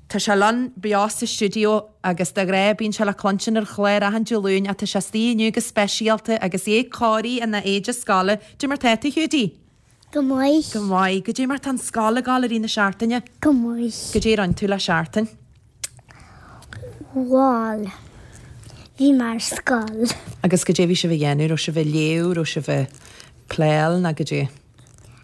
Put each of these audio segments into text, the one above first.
Tá sé linn beo sa stiúideo agus de ghnáth bíonn sé le cluinstin ar an chlár achan Dé Luain ach tá sé istigh inniu go speisialta agus é cóirithe ina éide scoile. Goidé mar tá tú, Hiúdaí? Go maith. Go maith. Goidé mar tá an scoil ag dul i rith na seachtaine? Go maith. Goidé a rinne tú le seachtain? Bhuel, bhí mé ar scoil. Agus goidé bhí sibh a dhéanamh? Raibh sibh ag léamh, raibh sibh ag pléáil nó goidé?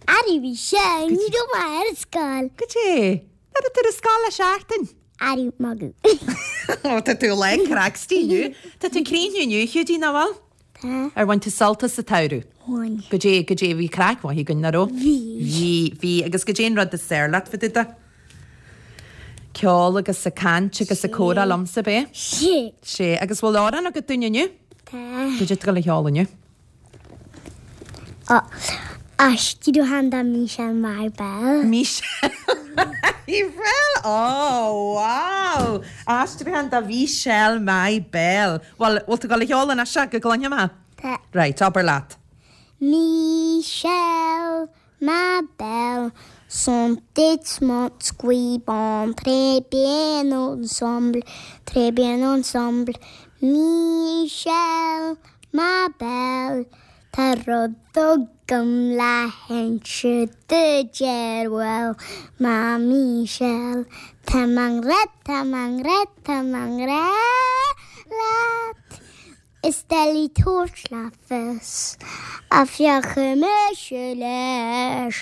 Arú bhí sin, ní raibh mé ar scoil. Goidé? Nach raibh tú ar scoil le seachtain? Arú, magadh. Ó, tá tú lán craic istigh inniu. Tá tú críochnaithe inniu, a Hiúdaí, nach bhfuil? Tá. Ar bhain tú sult as an tsamhradh? Bhain. Goidé, goidé, bhí craic mhaith againn, nach raibh? Bhí. Bhí, bhí. Agus goidé an rud is fearr leat fá dtaobh de? Ceol agus ag caint agus ag comhrá liomsa, ab é? Sé. Sé. Agus bhfuil amhrán agat dúinn inniu? Tá. Goidé tá tú ag gabháil a cheol inniu? Aistriúchán de Michelle Ma Belle. Michelle Ma Belle! Oh, wow! Aistriúchán de Michelle Ma Belle. Bhuel, bhfuil tú ag gabháil a cheol anois go gcluinfidh mé? Tá. Right, abair leat. Michelle Ma Belle, sont tes mots qui vont très bien ensemble, très bien ensemble. Michelle, ma belle, tá rud agam le hinse duit ar ball, ma Michelle, tá mé i ngrá, tá mé i ngrá, tá mé i ngrá leat. Is doiligh tabhairt le fios a féachfaidh mise leis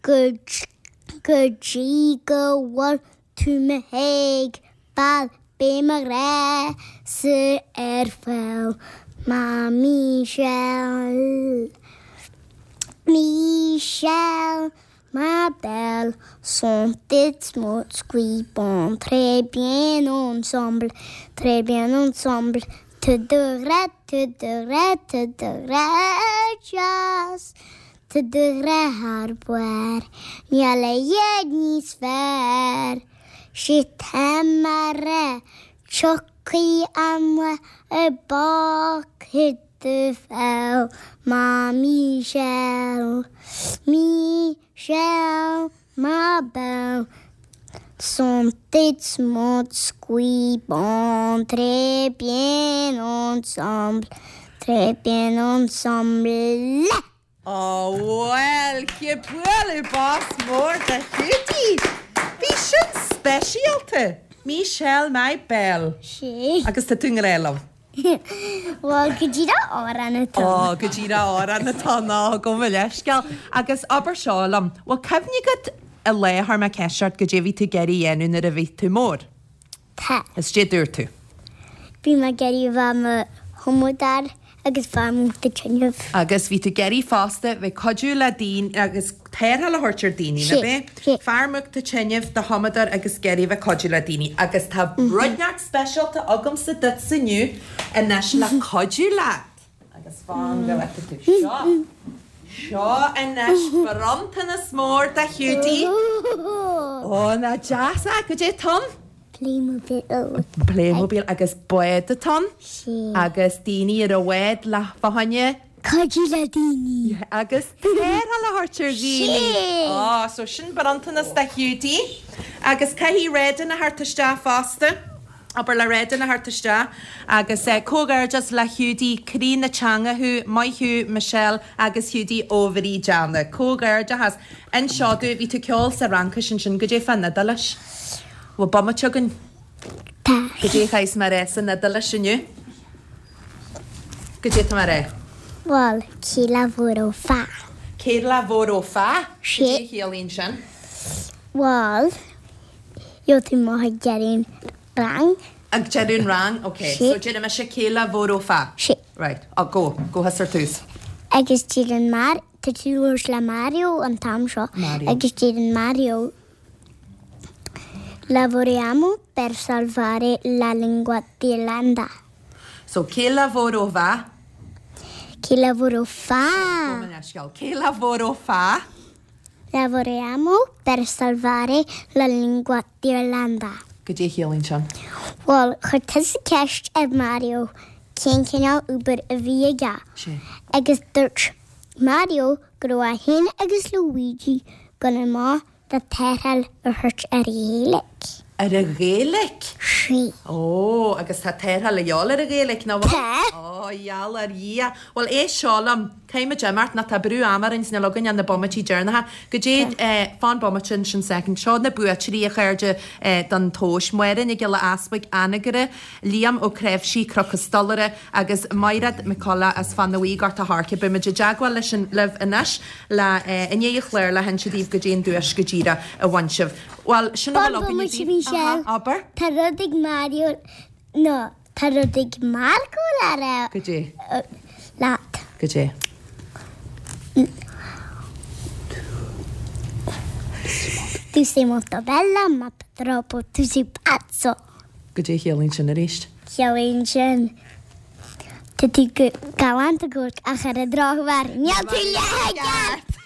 go dtí go bhfuil tú mo thuigbheáil beidh mo ghrá-sa ar fáil ma Michelle Michelle Ma belle, sont tes mots qui vont très bien ensemble, très bien ensemble, Tu devrais, tu devrais, tu devrais just, tu devrais thar barr, níl a dhath níos fearr. 'Sé tá mé a rá, tiocfaidh an lá a bpógfaidh tú feall, ma Michelle, Michelle, ma belle, sont tes mots qui vont très bien ensemble, très bien ensemble. Ó bhuel, bualadh bos mór do Hiúdaí! Bhí sin speisialta! Michelle ma belle. Sé. Agus tá tú i ngrá liom. Bhuel, go díreach amhrán atá ann. Ó, go díreach amhrán atá ann, ó, gabh mo leithscéal. Agus abair seo liom, bhfuil cuimhne agat an lá a chuir mé ceist ort goidé a bhí tú ag iarraidh a dhéanamh nuair a bhí tú mór? Tá. Is goidé a dúirt tú? Bhí mé ag iarraidh a bheith i mo thumadóir agus fear múchta tinrimh. Agus bhí tú ag iarraidh fosta bheith cuidiú le daoine agus tarrtháil a thabhairt ar daoine, nach Sé, é? sé. Fear múchta tinrimh, do thumadóir agus ag iarraidh bheith cuidiú le daoine. Agus tá rud inteacht speisialta agamsa duitse inniu anois le cuidiú leat. Agus fan go bhfeicfidh tú seo. Seo anois bronntanas mór do Hiúdaí. Ó, nach deas é? Goidé atá ann? Playmobil. Playmobil agus bád atá ann. Sea. Agus daoine ar an bhád le fá choinne. Cuidiú le daoine. Agus tarrtháil a thabhairt ar dhaoine. Sea. Ó, so sin bronntanas do Hiúdaí. Agus caithfidh Redin a theacht isteach fosta. Abair le Redin a theacht isteach agus comhghairdeas le Hiúdaí, croí na teanga thú, maith thú Michelle agus Hiúdaí ó Bhrídeanna. Comhghairdeachas. Inis seo domh, bhí tú ag ceol sa Fhraincis ansin, goidé fán Iodáilis? Bhfuil bomaite againn? Tá. Goidé a chaithfeas mé a rá san Iodáilis inniu? Goidé atá mé a rá? Bhuel, che lavoro fa? Che lavoro fa? Sì. Goidé a chiallaíonn sin? Bhuel, Gheobhaidh tú amach ag deireadh an rang. Ag deireadh an rang? Ok. Sí. So déarfaidh mise che lavoro fa? Sí. Right. Oh, go. Go thus ar tús. Agus deireann Mar, tá tú ag labhairt le Mario an t-am seo. Mario. Agus deireann Mario, Lavoriamo per salvare la lingua d'Irlanda. So, che lavoro va? Che lavoro fa? Gabh mo leithscéal. Che lavoro fa? Lavoriamo per salvare la lingua d'Irlanda. Goidé a chiallaíonn sin? Bhuel, chuir tusa ceist ar Mario cén cineál obair a bhí aige. Sea. Agus dúirt Mario go raibh é féin agus Luigi ag dul amach le tarrtháil a thabhairt ar Ghaeilge. Ar an Ghaeilic? Sí. Ó, agus tá tarrtháil a dhíobháil ar an Ghaeilic, nach bhfuil? Tá. Ó, gheall ar Dhia. Bhuel, éist seo liom. Caithfidh muid imeacht, nó tá brú ama orainn 's níl againn ach na bomaití deireanacha. Goidé, eh, fan bomaite ansin second. Seo na buaiteoirí, a chairde, eh, don tomhais. Máire Nic Giolla Easpaig, Anagaire, Liam Ó Creimhsí, Cnoc an Stolaire, agus Maighread McCullough as Fann Bhuí, Gort a' Choirce. Beidh muid i dteagmháil leis an, libh anois le, eh, i ndiaidh an chláir le hinse daoibh goidé an duais go díreach a bhain sibh. Bhuel, sin a bhfuil againne daoibh. Michelle. Aha, abair. Tá rud ag Mario, no, tá rud ag Marco le rá. Goidé? Leat. Goidé? Tu sei molto bella, ma purtroppo tu sei pazzo. Goidé a chiallaíonn sin arís? Ciallaíonn sin, Tá tú go galánta go ach ar an drochuair, níl tú leath i gceart!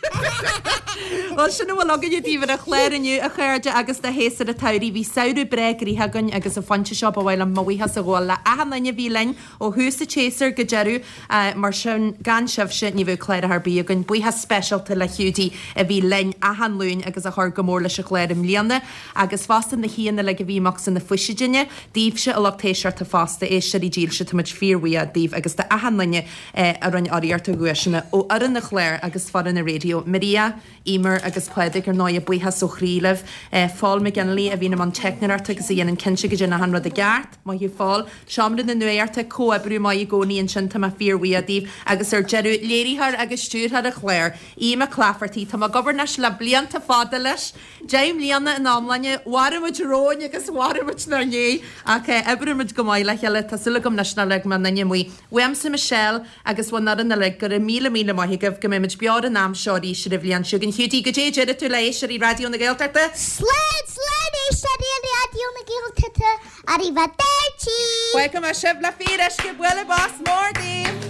Bhuel, sin a bhfuil againne daoibh ar an chlár inniu, a chairde, agus do shéasúr an tsamhraidh. Bhí samhradh breá gnoitheach againn agus an phointe seo ba mhaith liom mo bhuíochas a ghabháil le achan duine a bhí linn ó thús an tséasúir go deireadh. Mar sin, gan sibhse, ní bheadh cláracha ar bith againn. Buíochas speisialta le Hiúdaí a bhí linn achan Luan agus a chuir go mór leis an chlár i mbliana. Agus fosta na haíonna uilig a bhí amach sna fuiseoideanna, daoibhse a lucht éisteachta fosta, éisteoirí dílse, tá muid fíorbhuíoch daoibh agus d'achan duine a rinne urraíocht ar dhuaiseanna ó fhoireann an chláir agus foireann an raidió. Maria, Emer agus Pádraig, ar ndóighe, buíochas ó chroí libh. Phól McGinley a bhíonn i mbun teicneoireachta agus a dhéanann cinnte go dtéann achan rud i gceart. Maith thú Phól. Seomra na Nuachta, comhoibriú maith i gcónaí ansin, tá mé fíorbhuíoch daoibh. Agus ar deireadh, léiritheoir agus stiúrthóir an chláir, Aodh Mac Laifeartaigh, tá mé ag obair anois le blianta fada leis, 10 mbliana ina iomláine, mharaigh muid romhainn agus mharaigh muid inár ndiaidh, ach oibríonn muid go maith le chéile, tá súil agam anois nár leag mé aon duine amuigh. Uaimse Michelle agus uainn orainn uilig, go raibh míle míle maith agaibh, go mbeidh muid beo ar an am seo arís ar an bhliain seo chugainn. Hiúdaí, goidé a déarfaidh tú le éisteoirí Raidió na Gaeltachta? Slán, slán éisteoirí Raidió na Gaeltachta, arrivederci! Fágfaidh mé sibh le fíoruisce, bualadh bos mór daoibh!